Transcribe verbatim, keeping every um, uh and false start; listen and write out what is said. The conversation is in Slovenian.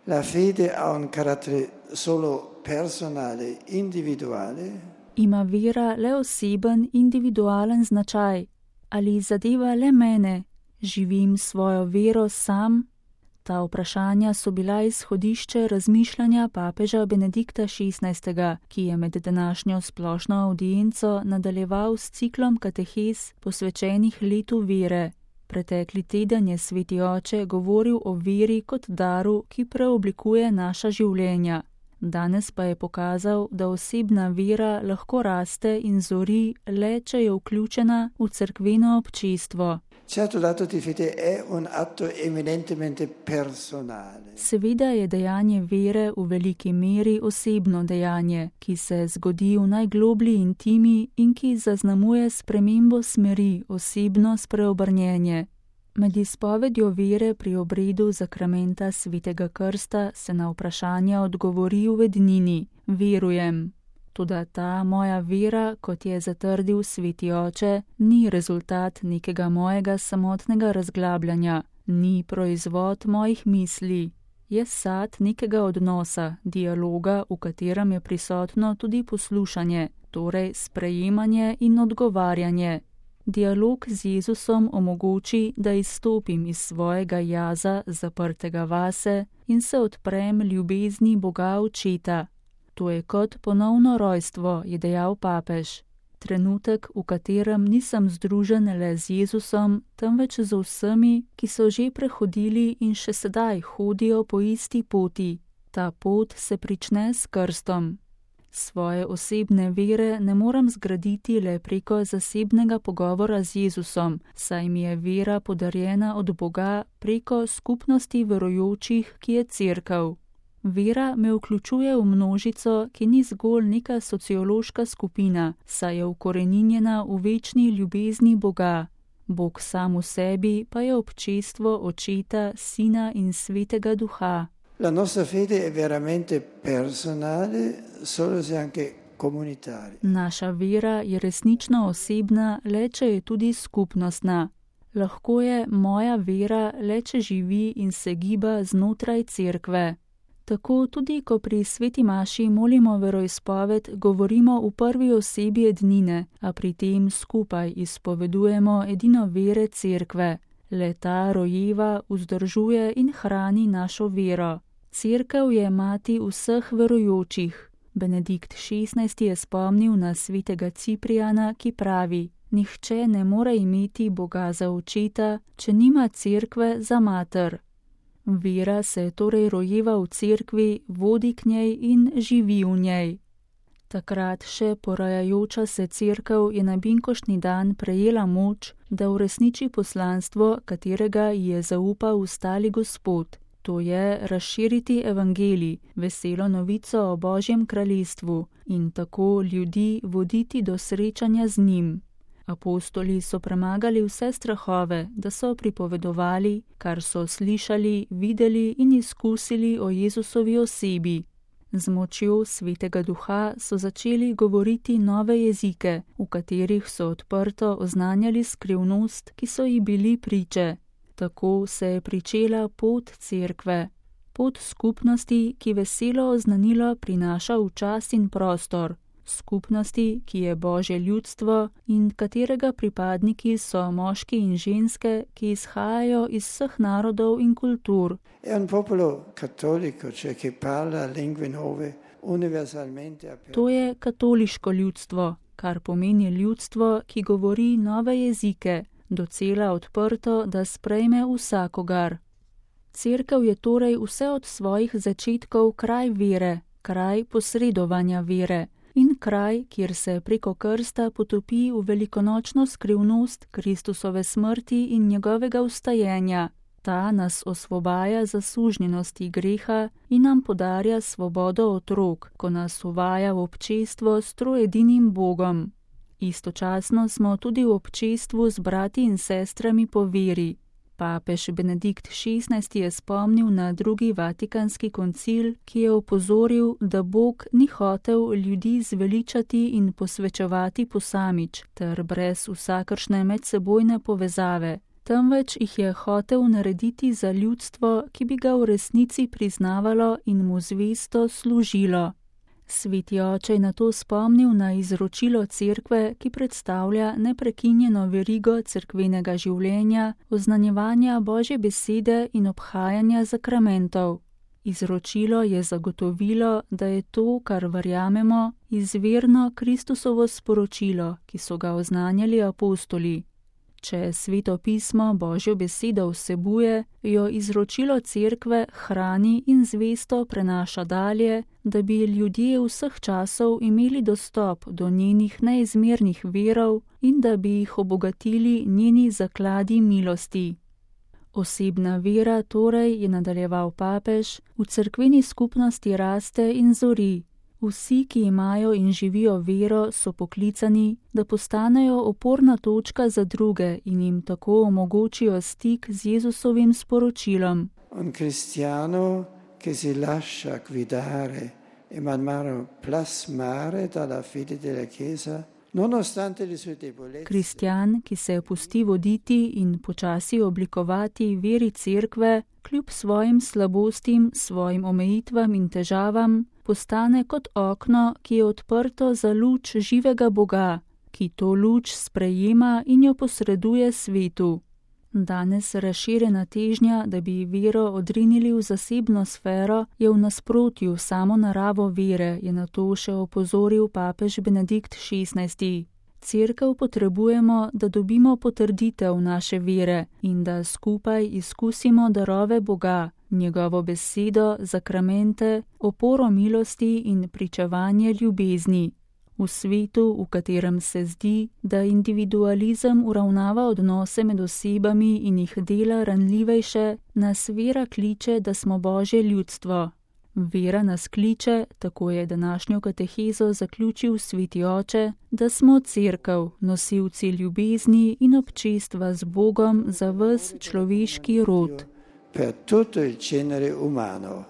La fede ha un carattere solo personale, individuale. Ima vera le oseben, individualen značaj? Ali zadeva le mene? Živim svojo vero sam? Ta vprašanja so bila izhodišče razmišljanja papeža Benedikta šestnajstega, ki je med današnjo splošno avdienco nadaljeval s ciklom katehez posvečenih letu vere. Pretekli teden je sveti oče govoril o veri kot daru, ki preoblikuje naša življenja. Danes pa je pokazal, da osebna vera lahko raste in zori le, če je vključena v cerkveno občestvo. Certo, l'atto di fede è un atto eminentemente personale. Seveda je dejanje vere v veliki meri osebno dejanje, ki se zgodi v najgloblji intimi in ki zaznamuje spremembo smeri, osebno spreobrnjenje. Med izpovedjo vere pri obredu zakramenta svetega krsta se na vprašanja odgovori v ednini: verujem. Toda ta moja vera, kot je zatrdil sveti oče, ni rezultat nekega mojega samotnega razglabljanja, ni proizvod mojih misli. Je sad nekega odnosa, dialoga, v katerem je prisotno tudi poslušanje, torej sprejemanje in odgovarjanje. Dialog z Jezusom omogoči, da izstopim iz svojega jaza, zaprtega vase, in se odprem ljubezni Boga Očeta. To je kot ponovno rojstvo, je dejal papež. Trenutek, v katerem nisem združen le z Jezusom, temveč z vsemi, ki so že prehodili in še sedaj hodijo po isti poti. Ta pot se prične s krstom. Svoje osebne vere ne morem zgraditi le preko zasebnega pogovora z Jezusom, saj mi je vera podarjena od Boga preko skupnosti verujočih, ki je cerkev. Vera me vključuje v množico, ki ni zgolj neka sociološka skupina, saj je ukoreninjena v večni ljubezni Boga. Bog sam v sebi pa je občestvo Očeta, Sina in Svetega Duha. La nostra fede è veramente personale, solo se anche comunitaria. Naša vera je resnično osebna, le če je tudi skupnostna. Lahko je moja vera le, če živi in se giba znotraj cerkve. Tako tudi, ko pri sveti maši molimo veroizpoved, govorimo v prvi osebi ednine, a pri tem skupaj izpovedujemo edino vere cerkve. Le ta rojeva, vzdržuje in hrani našo vero. Cerkev je mati vseh verujočih. Benedikt šestnajsti je spomnil na svetega Ciprijana, ki pravi: nihče ne more imeti Boga za očeta, če nima cerkve za mater. Vera se torej rojeva v cerkvi, vodi k njej in živi v njej. Takrat še porajajoča se cerkev je na binkoštni dan prejela moč, da uresniči poslanstvo, katerega ji je zaupal ustali Gospod. To je razširiti evangelij, veselo novico o Božjem kraljestvu in tako ljudi voditi do srečanja z njim. Apostoli so premagali vse strahove, da so pripovedovali, kar so slišali, videli in izkusili o Jezusovi osebi. Z močjo Svetega Duha so začeli govoriti nove jezike, v katerih so odprto oznanjali skrivnost, ki so ji bili priče. Tako se je pričela pot cerkve, pot skupnosti, ki veselo oznanilo prinaša v čas in prostor. Skupnosti, ki je Božje ljudstvo in katerega pripadniki so moški in ženske, ki izhajajo iz vseh narodov in kultur. È un popolo cattolico, cioè che parla lingue nuove, universalmente aperto. To je katoliško ljudstvo, kar pomeni ljudstvo, ki govori nove jezike, docela odprto, da sprejme vsakogar. Cerkev je torej vse od svojih začetkov kraj vere, kraj posredovanja vere. In kraj, kjer se preko krsta potopi v velikonočno skrivnost Kristusove smrti in njegovega vstajenja. Ta nas osvobaja zasužnjenosti greha in nam podarja svobodo otrok, ko nas uvaja v občestvo s troedinim Bogom. Istočasno smo tudi v občestvu z brati in sestrami po veri. Papež Benedikt šestnajsti je spomnil na drugi vatikanski koncil, ki je opozoril, da Bog ni hotel ljudi zveličati in posvečevati posamič ter brez vsakršne medsebojne povezave, temveč jih je hotel narediti za ljudstvo, ki bi ga v resnici priznavalo in mu zvesto služilo. Sveti oče je nato spomnil na izročilo cerkve, ki predstavlja neprekinjeno verigo cerkvenega življenja, oznanjevanja Božje besede in obhajanja zakramentov. Izročilo je zagotovilo, da je to, kar verjamemo, izvirno Kristusovo sporočilo, ki so ga oznanjali apostoli. Če Sveto pismo Božjo besedo vsebuje, jo izročilo cerkve hrani in zvesto prenaša dalje, da bi ljudje vseh časov imeli dostop do njenih neizmernih virov in da bi jih obogatili njeni zakladi milosti. Osebna vera torej, je nadaljeval papež, v cerkveni skupnosti raste in zori. Vsi, ki imajo in živijo vero, so poklicani, da postanejo oporna točka za druge in jim tako omogočijo stik z Jezusovim sporočilom. Un cristiano che si lascia guidare e man mano plasmare dalla fede della Chiesa, nonostante le sue debolezze. Kristjan, ki se pusti voditi in počasi oblikovati veri cerkve, kljub svojim slabostim, svojim omejitvam in težavam, postane kot okno, ki je odprto za luč živega Boga, ki to luč sprejema in jo posreduje svetu. Danes razširjena težnja, da bi vero odrinili v zasebno sfero, je v nasprotju samo naravo vere, je na to še opozoril papež Benedikt šestnajsti. Cerkev potrebujemo, da dobimo potrditev naše vere in da skupaj izkusimo darove Boga, njegovo besedo, zakramente, oporo milosti in pričevanje ljubezni. V svetu, v katerem se zdi, da individualizem uravnava odnose med osebami in jih dela ranljivejše, nas vera kliče, da smo Božje ljudstvo. Vera nas kliče, tako je današnjo katehezo zaključil Sveti oče, da smo cerkev, nosilci ljubezni in občestva z Bogom za ves človeški rod. Per tutto il genere umano.